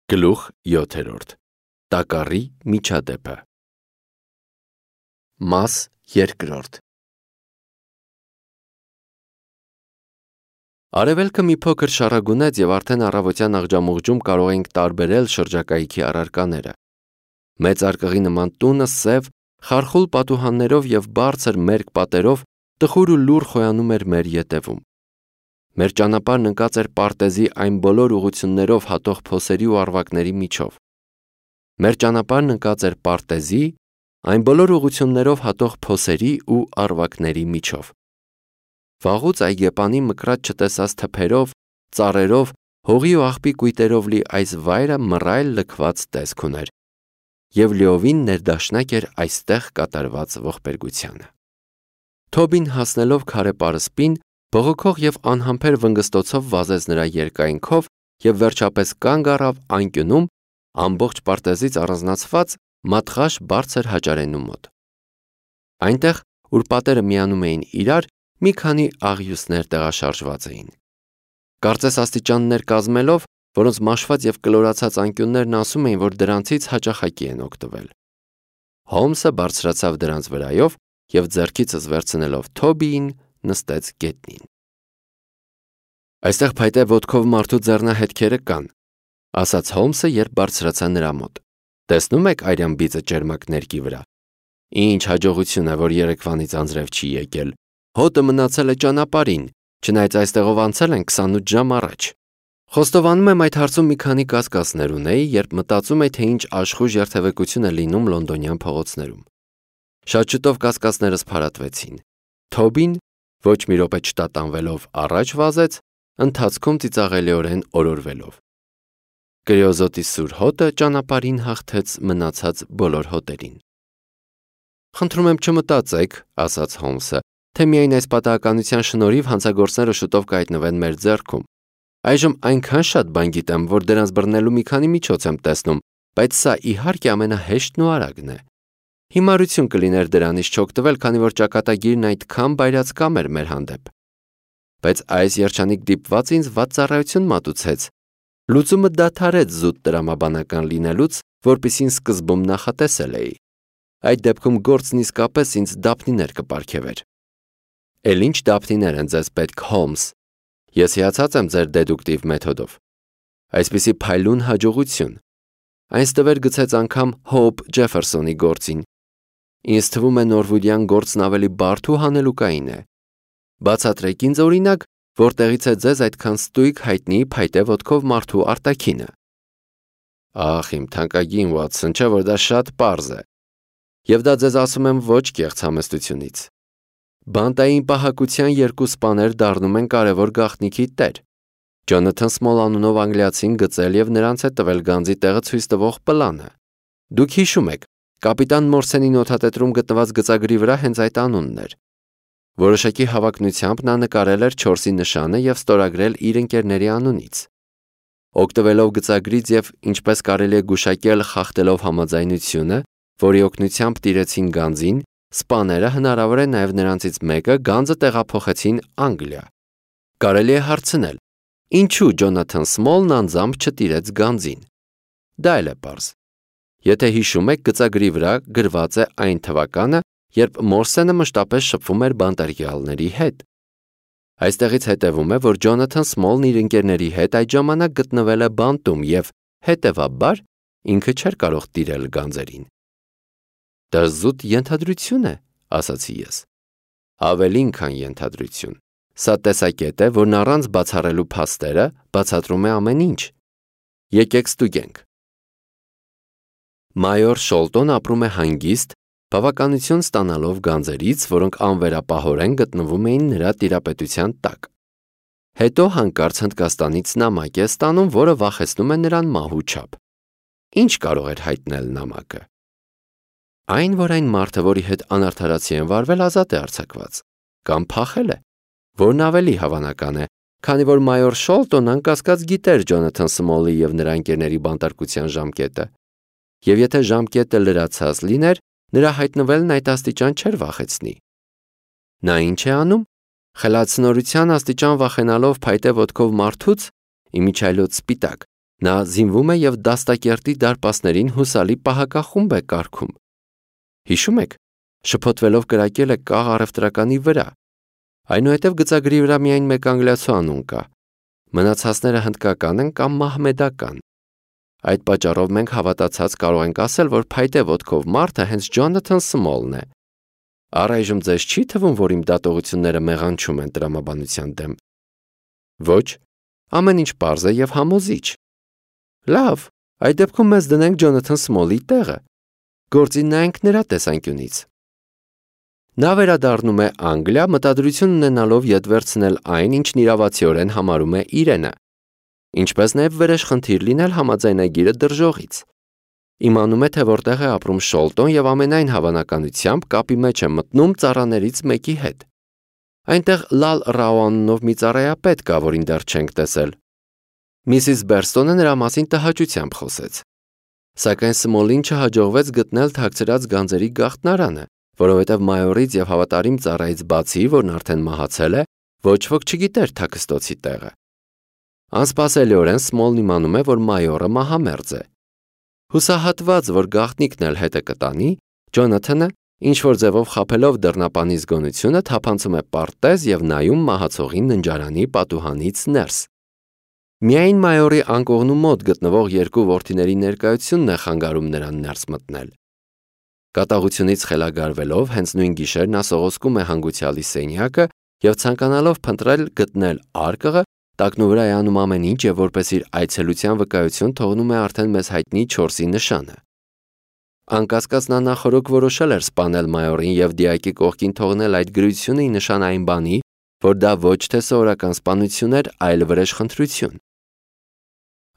Գլուխ 7. Տակառի միջադեպը։ Մաս 2. Արևելքը մի փոքր շառագունեց և արդեն առավոտյան աղջամուղջում կարող էինք տարբերել շրջակայքի առարկաները։ Մեծ արկղի նման տունը սև, խարխուլ պատուհաններով և բարձր մերկ պատերով տխուր ու լուռ խոյանում էր մեր ետևում։ Մեր ճանապարհն ընկած էր պարտեզի այն բոլոր ուղղություններով հատող փոսերի ու առվակների միջով։ Մեր ճանապարհն ընկած էր պարտեզի այն բոլոր ուղղություններով հատող փոսերի ու առվակների միջով։ Վաղուց այգեպանի մկրատ չտեսած թփերով, ծառերով, հողի ու աղբի կույտերով լի այս վայրը մռայլ լքված տեսք ուներ և լիովին ներդաշնակ էր այստեղ կատարված ողբերգությանը։ Թոբին հասնելով քարե պարսպին, բողոքող և անհամբեր վնգստոցով վազեց նրա երկայնքով և վերջապես կանգ առավ անկյունում ամբողջ պարտեզից առանձնացված մատղաշ բարձր հաճարենու մոտ։ Այնտեղ, ուր պատերը միանում էին իրար, մի քանի աղյուսներ տեղաշարժված էին։ Կարծես աստիճաններ կազմելով, որոնց մաշված և կլորացած անկյուններն ասում էին, որ դրանցից հաճախակի են օգտվել։ Հոլմսը բարձրացավ դրանց վրայով և ձեռքիցս վերցնելով Թոբիին նստեց գետնին։ «Այստեղ փայտե ոտքով մարդու ձեռնահետքերը կան», ասաց Հոլմսը, երբ բարձրացա նրա մոտ։ «Տեսնում եք արյան բիծը ճերմակ ներկի վրա։ Ինչ հաջողություն է, որ երեկվանից անձրև չի եկել։ Հոտը մնացել է ճանապարհին, չնայած այստեղով անցել են 28 ժամ առաջ»։ Խոստովանում եմ, այդ հարցում մի քանի կասկածներ ունեի, երբ մտածում էի, թե ինչ աշխույժ երթևեկություն է լինում լոնդոնյան փողոցներում։ Շատ շուտով կասկածներս փարատվեցին։ Թոբին, ոչ մի րոպե չտատանվելով, առաջ վազեց, ընթացքում ծիծաղելիորեն օրորվելով։ Կրիոզոտի սուր հոտը ճանապարհին հաղթեց մնացած բոլոր հոտերին։ «Խնդրում եմ չմտածեք», ասաց Հոլմսը, «թե միայն այս պատահականության շնորհիվ հանցագործները շուտով կհայտնվեն մեր ձեռքում։ Այժմ այնքան շատ բան գիտեմ, որ դրանց բռնելու մի քանի միջոց եմ տեսնում, բայց սա իհարկե ամենահեշտն ու արագն է։ Հիմարություն կլիներ դրանից չօգտվել, քանի որ ճակատագիրն այդքան բայրացկամ էր մեր հանդեպ։ Բայց այս երջանիկ դիպվածը ինձ վատ ծառայություն մատուցեց։ Լուծումը դադարեց զուտ տրամաբանական լինելուց, որպեսզի սկզբում նախատեսել էի։ Այդ դեպքում գործն իսկապես ինձ դափնիներ կպարգևեր»։ «Էլ ինչ դափնիներ են ձեզ պետք, Հոլմս։ Ես հիացած եմ ձեր դեդուկտիվ մեթոդով։ Այսպիսի փայլուն հաջողություն։ Այն ստվեր գցեց անգամ Հոուփ Ջեֆերսոնի գործին։ Ինձ թվում է նորվուդյան գործն ավելի բարդ ու հանելուկային է։ Բացատրեք ինձ օրինակ, որտեղից է ձեզ այդքան ստույգ հայտնի փայտե ոտքով մարդու արտաքինը»։ «Ախ, իմ թանկագին Վաթսոն, չէ՞ որ դա շատ պարզ է։ Եվ դա ձեզ ասում եմ ոչ կեղծ համեստությունից։ Բանտային պահակության երկու սպաներ դառնում են կարևոր գաղտնիքի տեր։ Ջոնաթան Սմոլ անունով անգլիացին գծել և նրանց է տվել գանձի տեղը ցույց տվող պլանը։ Դուք հիշում եք, կապիտան Մորսենի նոթատետրում գտնված գծագրի վրա հենց այդ անունն էր։ Որոշակի հավակնությամբ նա նկարել էր 4-ի նշանը և ստորագրել իր ընկերների անունից։ Օգտվելով գծագրից և ինչպես կարելի է գուշակել խախտելով համաձայնությունը, որի օգնությամբ տիրեցին գանձին, սպաները, հնարավոր է նաև նրանցից մեկը, գանձը տեղափոխեցին Անգլիա։ Կարելի է հարցնել, ինչու Ջոնաթան Սմոլն անձամբ չտիրեց գանձին։ Դա էլ է պարզ։ Եթե հիշում եք, գծագրի վրա գրված է այն թվականը, երբ Մորսենը մշտապես շփվում էր բանտարկյալների հետ։ Այստեղից հետևում է, որ Ջոնաթան Սմոլն իր ընկերների հետ այդ ժամանակ գտնվել է բանտում և, հետևաբար, ինքը չէր կարող տիրել գանձերին։ «Դա զուտ ենթադրություն է», ասացի ես։ «Ավելին, քան ենթադրություն։ Սա տեսակետ է, որն առանց բացառելու փաստերը բացատրում է ամեն ինչ։ Եկեք ստուգենք»։ Մայոր Շոլտոն ապրում է հանգիստ, բավականություն ստանալով գանձերից, որոնք անվերապահորեն գտնվում էին նրա տիրապետության տակ։ Հետո հանկարծ Հնդկաստանից նամակ է ստանում, որը վախեցնում է նրան մահու չափ։ Ինչ կարող էր հայտնել նամակը։ Այն, որ այն մարդը, որի հետ անարդարացի են վարվել, ազատ է արձակված, կամ փախել է, որն ավելի հավանական է, քանի որ մայոր Շոլտոնն անկասկած գիտեր Ջոնաթան Սմոլի և նրա ընկերների բանտարկության ժամկետը։ Եվ եթե ժամկետը լրացած լիներ, նրա հայտնվելն այդ աստիճան չէր վախեցնի։ Նա ինչ է անում։ Խելացնորության աստիճան վախենալով փայտե ոտքով մարդուց, իմիջիայլոց սպիտակ, Նա զինվում է եւ դաստակերտի դարպասներին հուսալի պահակախումբ է կարգում։ Հիշում եք, շփոթվելով կրակել է կաղ առևտրականի վրա։ Այնուհետև գծագրի վրա միայն մեկ անգլիացու անուն կա։ Մնացածները հնդկական են կամ մահմեդական։ Այդ պատճառով մենք հավատացած կարող ենք ասել, որ փայտե ոտքով մարդը հենց Ջոնաթան Սմոլն է։ Առայժմ ձեզ չի թվում, որ իմ դատողությունները մեղանչում են տրամաբանության դեմ։ Ոչ, ամեն ինչ պարզ է եւ համոզիչ։ Լավ, այդ դեպքում մեզ դնենք Ջոնաթան Սմոլի տեղը։ Գործին նայենք նրա տեսանկյունից։ Նա վերադառնում է Անգլիա, մտադրություն ունենալով ետ վերցնել այն, ինչն իրավացիորեն համարում է իրենը, ինչպես նաև վերեշխնդիր լինել համաձայնագիրը դրժողից։ Իմանում է, թե որտեղ է ապրում Շոլտոն եւ ամենայն հավանականությամբ կապի մեջ է մտնում ծառաներից մեկի հետ։ Այնտեղ Լալ Ռաուանով մի ծառայապետ կա, որին դեռ չենք տեսել։ Միսիս Բերստոնը նրա մասին տհաճությամբ խոսեց։ Սակայն Սմոլին չհաջողվեց գտնել թաքցրած գանձերի գաղտնարանը, որովհետև մայորից եւ հավատարիմ ծառայից բացի, որն արդեն մահացել է, ոչ ոք չգիտեր թաքստոցի տեղը։ Անսպասելիորեն Սմոլն իմանում է, որ մայորը մահամերձ է։ Հուսահատված, որ գաղտնիքն էլ հետը կտանի, Ջոնաթանը, ինչ-որ ձևով խաբելով դռնապանի զգոնությունը, թափանցում է պարտեզ եւ նայում մահացողին ննջարանի պատուհանից ներս։ Միայն մայորի անկողնու մոտ գտնվող երկու որդիների ներկայությունն է խանգարում նրան ներս մտնել։ Կատաղությունից խելագարվելով, հենց նույն գիշեր նա սողոսկում է հանգուցյալի սենյակը եւ ցանկանալով փնտրել գտնել արկղը, տակնու վրա է անում ամեն ինչ եւ որպես իր այցելության վկայություն թողնում է արդեն մեզ հայտնի 4-ի նշանը։ Անկասկած նա նախորոք որոշել էր սպանել մայորին եւ դիակի կողքին թողնել այդ գրությունը ի նշան այն բանի, որ դա ոչ թե սովորական սպանություն էր, այլ վրեժխնդրություն։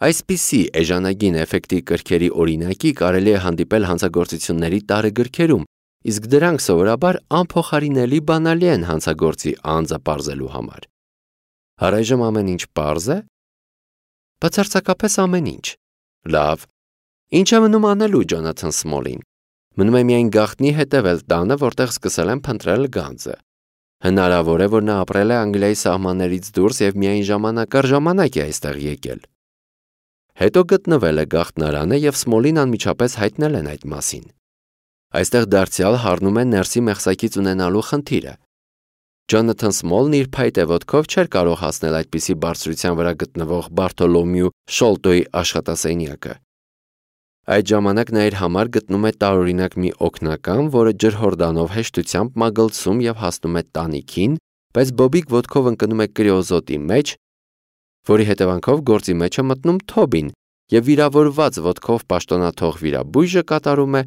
Այսպիսի էժանագին էֆեկտի կրքերի օրինակի կարելի է հանդիպել հանցագործությունների տարեգրքերում, իսկ դրանք սովորաբար անփոխարինելի բանալի են հանցագործի անձը պարզելու համար։ Առայժմ ամեն ինչ պարզ է։ Բացարձակապես ամեն ինչ։ Լավ։ Ինչ է մնում անելու Ջոնաթան Սմոլին։ Մնում է միայն գաղտնի հետևել տանը, որտեղ սկսել են փնտրել գանձը։ Հնարավոր է, որ նա ապրել է Անգլիայի սահմաններից դուրս եւ միայն ժամանակ առ ժամանակ է այստեղ եկել։ Հետո գտնվել է գաղտնարանը եւ Սմոլին անմիջապես հայտնել են այդ մասին։ Այստեղ դարձյալ հառնում է ներսի մեղսակից ունենալու խնդիրը։ Ջոնաթան Սմոլն իր փայտե ոտքով չէր կարող հասնել այդպիսի բարձրության վրա գտնվող Բարթոլոմյու Շոլտոյի աշխատասենյակը։ Այդ ժամանակ նա իր համար գտնում է տարօրինակ մի օգնական, որը ջրհորդանով հեշտությամբ մագլցում եւ հասնում է տանիքին, բայց բոբիկ ոտքով ընկնում է կրիոզոտի մեջ, որի հետևանքով գործի մեջ է մտնում Թոբին եւ վիրավորված ոտքով պաշտոնաթող վիրաբույժը կատարում է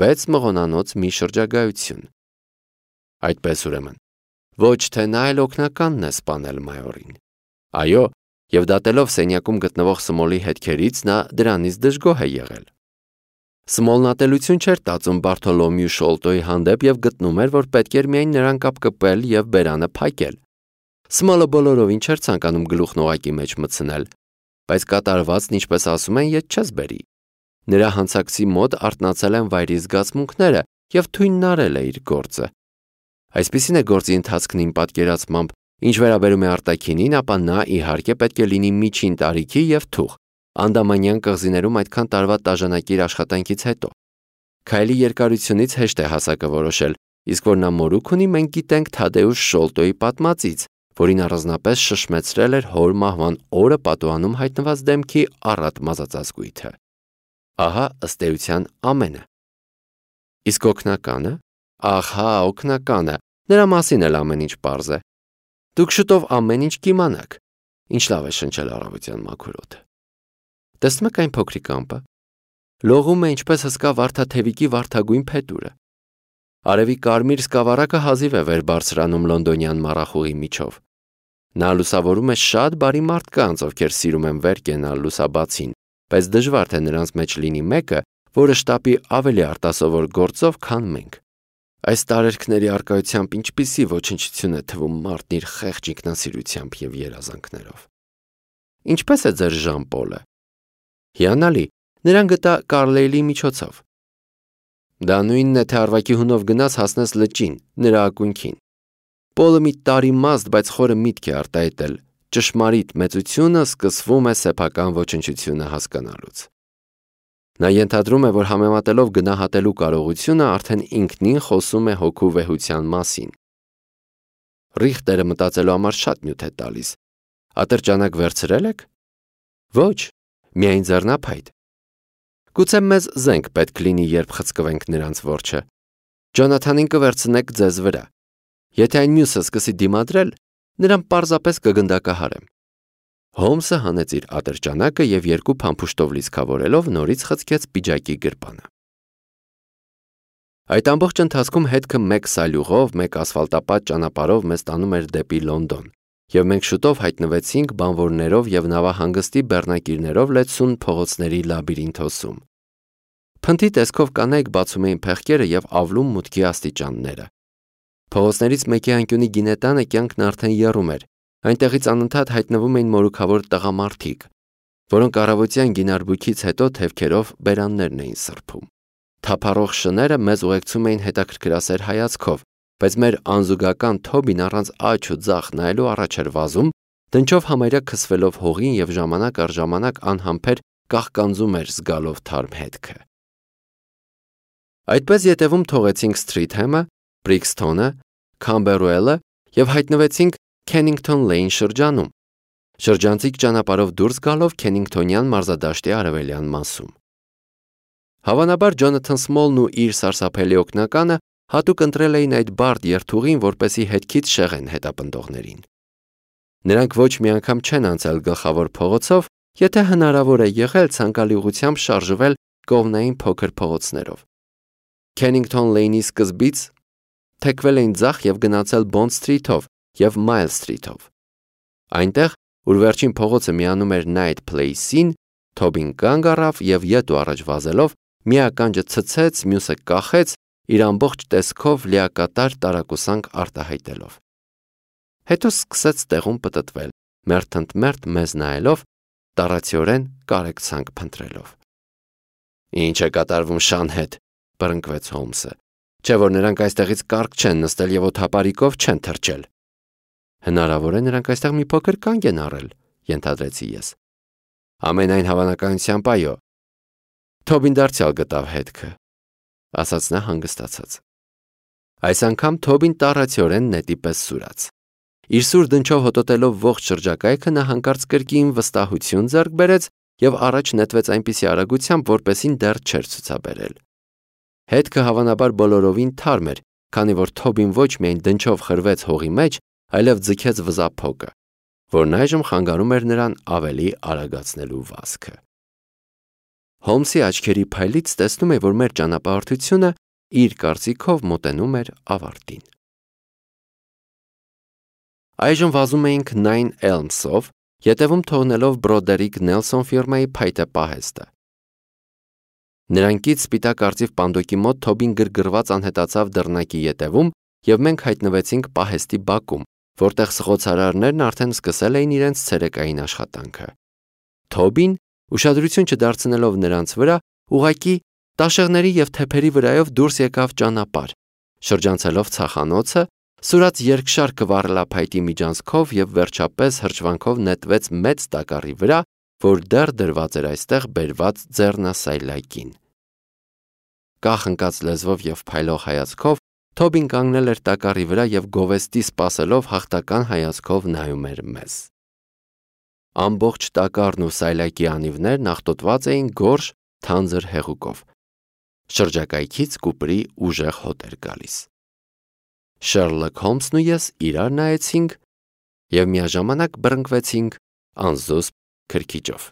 6 մղոնանոց մի շրջագայություն։ Այդպես ուրեմն, ոչ թե նա այլ օգնականն է սպանել մայորին։ Այո, եւ դատելով սենյակում գտնվող Սմոլի հետքերից նա դրանից դժգոհ է եղել։ Սմոլն ատելություն չէր տածում Բարթոլոմյու Շոլտոյի հանդեպ եւ գտնում էր, որ պետք էր միայն նրան կապկպել եւ բերանը փակել։ Սմոլը բոլորովին չէր ցանկանում գլուխն օղակի մեջ մտցնել, բայց կատարվածն, ինչպես ասում են, ետ չես բերի։ Նրա հանցակցի մոտ արթնացել են վայրի զգացմունքները եւ թույնն արել է իր գործը։ Այսպիսին է գործի ընթացքն իմ պատկերացմամբ, ինչ վերաբերում է արտաքինին, ապա նա իհարկե պետք է լինի միջին տարիքի եւ թուխ, անդամանյան կղզիներում այդքան տարվա տաժանակիր աշխատանքից հետո։ Քայլի երկարությունից հեշտ է հասակը որոշել, իսկ որ նա մորուք ունի, մենք գիտենք Թադեուշ Շոլտոյի պատմածից, որին առանձնապես շշմեցրել էր հոր մահվան օրը պատուհանում հայտնված դեմքի առատ մազածածկույթը։ Ահա ըստ էության ամենը։ Իսկ օգնականը, ահա օգնականը, նրա մասին էլ ամեն ինչ պարզ է։ Դուք շուտով ամեն ինչ կիմանաք։ Ինչ լավ է շնչել առավոտյան մաքուր օդը։ Տեսնում եք այն փոքրիկ ամպը։ Լողում է ինչպես հսկա վարդաթևիկի վարդագույն փետուրը։ Արևի կարմիր սկավառակը հազիվ է վեր բարձրանում լոնդոնյան մառախուղի միջով։ Նա լուսավորում է շատ բարի մարդկանց, ովքեր սիրում են վեր կենալ լուսաբացին, բայց դժվար թե նրանց մեջ լինի մեկը, որը շտապի ավելի արտասովոր գործով, քան մենք։ Այս տարերքների արկայությամբ ինչպիսի ոչնչություն է թվում մարդն իր խեղճ ինքնասիրությամբ եւ երազանքներով։ Ինչպես է ձեր Ժան-Պոլը։ Հիանալի, նրան գտա Կարլեյլի միջոցով։ Դա նույնն է, թե Արվակի հունով գնաց հասնես լճին, նրա ակունքին։ Պոլը մի տարիմաստ, բայց խորը միտք է արտահայտել, ճշմարիտ մեծությունը սկսվում է սեփական ոչնչությունը հասկանալուց։ Նա ենթադրում է, որ համեմատելով գնահատելու կարողությունը արդեն ինքնին խոսում է հոգու վեհության մասին։ Ռիխտերը մտածելու համար շատ նյութ է տալիս։ Ատրճանակ վերցրել եք։ Ոչ, միայն ձեռնափայտ։ Գուցե մեզ զենք պետք լինի, երբ խցկվենք նրանց որջը։ Ջոնաթանին կվերցնեք ձեզ վրա։ Եթե այն մյուսը սկսի դիմադրել, նրան պարզապես կգնդակահարեմ։ Հոլմսը հանեց իր ատրճանակը և երկու փամփուշտով լիցքավորելով նորից խցկեց պիջակի գրպանը։ Այդ ամբողջ ընթացքում հետքը մեկ սալյուղով, մեկ ասֆալտապատ ճանապարհով մեզ տանում էր դեպի Լոնդոն, և մենք շուտով հայտնվեցինք բանվորներով և նավահանգստի բեռնակիրներով լեցուն փողոցների լաբիրինթոսում։ Փնթի տեսքով կանայք բացում էին փեղկերը և ավլում մուտքի աստիճանները։ Փողոցներից մեկի անկյունի գինետանը կյանքն արդեն եռում էր, այնտեղից անընդհատ հայտնվում էին մորուքավոր տղամարդիկ, որոնք առավոտյան գինարբույքից հետո թևքերով բերաններն էին սրբում։ Թափառող շները մեզ ուղեկցում էին հետաքրքրասեր հայացքով, բայց մեր անզուգական Թոբին առանց աջ ու ձախ նայելու առաջ էր վազում, դնչով համարյա քսվելով հողին և ժամանակ առ ժամանակ անհամբեր կաղկանձում էր զգալով թարմ հետքը։ Այդպես ետևում թողեցինք Սթրիթհեմը, Բրիքսթոնը, Քամբերուելը և հայտնվեցինք Քենինգթոն Լեյն շրջանում, շրջանցիկ ճանապարհով դուրս գալով Քենինգթոնյան մարզադաշտի արևելյան մասում։ Հավանաբար Ջոնաթան Սմոլն ու իր սարսափելի օգնականը հատուկ ընտրել էին այդ բարդ երթուղին, որպեսզի հետքից շեղեն հետապնդողներին։ Նրանք ոչ մի անգամ չեն անցել գլխավոր փողոցով, եթե հնարավոր է եղել ցանկալի ուղղությամբ շարժվել կողմնային փոքր փողոցներով։ Քենինգթոն Լեյնի սկզբից թեքվել էին ձախ և գնացել Բոնդ Սթրիթով և Մայլ Սթրիթով։ Այնտեղ, ուր վերջին փողոցը միանում էր Նայթ Փլեյսին, Թոբին կանգ առավ և ետ ու առաջ վազելով մի ականջը ցցեց, մյուսը կախեց, իր ամբողջ տեսքով լիակատար տարակուսանք արտահայտելով։ Հետո սկսեց տեղում պտտվել, մերթ ընդ մերթ մեզ նայելով, տառացիորեն կարեկցանք փնտրելով։ «Ինչ է կատարվում Շան հետ», բռնկվեց Հոլմսը, «չէ՞ որ նրանք այստեղից կառք չեն նստել և օդապարիկով չեն թռչել»։ Հնարավոր է նրանք այստեղ մի փոքր կանգ են առել, ենթադրեցի ես։ Ամենայն հավանականությամբ այո։ Թոբին դարձյալ գտավ հետքը, ասաց նա հանգստացած։ Այս անգամ Թոբին տառացիորեն նետի պես սուրաց։ Իր սուր դնչով հոտոտելով ողջ շրջակայքը նա հանկարծ կրկին վստահություն ձեռք բերեց և առաջ նետվեց այնպիսի արագությամբ, որպեսզի դեռ չէր ցուցաբերել։ Հետքը հավանաբար բոլորովին թարմ էր, քանի որ Թոբին ոչ միայն դնչով խրվեց հողի մեջ, այլև ձգեց վզափոկը, որն այժմ խանգարում էր նրան ավելի արագացնելու վազքը։ Հոլմսի աչքերի փայլից տեսնում էի, որ մեր ճանապարհորդությունը իր կարծիքով մոտենում էր ավարտին։ Այժմ վազում էինք Նայն Էլմսով, ետևում թողնելով Բրոդերիկ Նելսոն ֆիրմայի փայտե պահեստը։ Նրանքից սպիտակ արծիվ պանդոկի մոտ Թոբին գրգռված անհետացավ դռնակի ետևում, և մենք հայտնվեցինք պահեստի բակում, որտեղ սղոցարարներն արդեն սկսել էին իրենց ցերեկային աշխատանքը։ Թոբին, ուշադրություն չդարձնելով նրանց վրա, ուղղակի տաշեղների և թեփերի վրայով դուրս եկավ ճանապարհ, շրջանցելով ցախանոցը, սուրաց երկշարքը վառելափայտի միջանցքով և վերջապես հրճվանքով նետվեց մեծ տակառի վրա, որ դեռ դրված էր այստեղ բերված ձեռնասայլակին։ Կախ ընկած լեզվով և փայլող հայացքով Թոբին կանգնել էր տակառի վրա և գովեստի սպասելով հաղթական հայացքով նայում էր մեզ։ Ամբողջ տակառն ու սայլակի անիվներն աղտոտված էին գորշ, թանձր հեղուկով։ Շրջակայքից կուպրի ուժեղ հոտ էր գալիս։ Շերլոք Հոլմսն ու ես իրար նայեցինք և միաժամանակ բռնկվեցինք անզուսպ քրքիջով։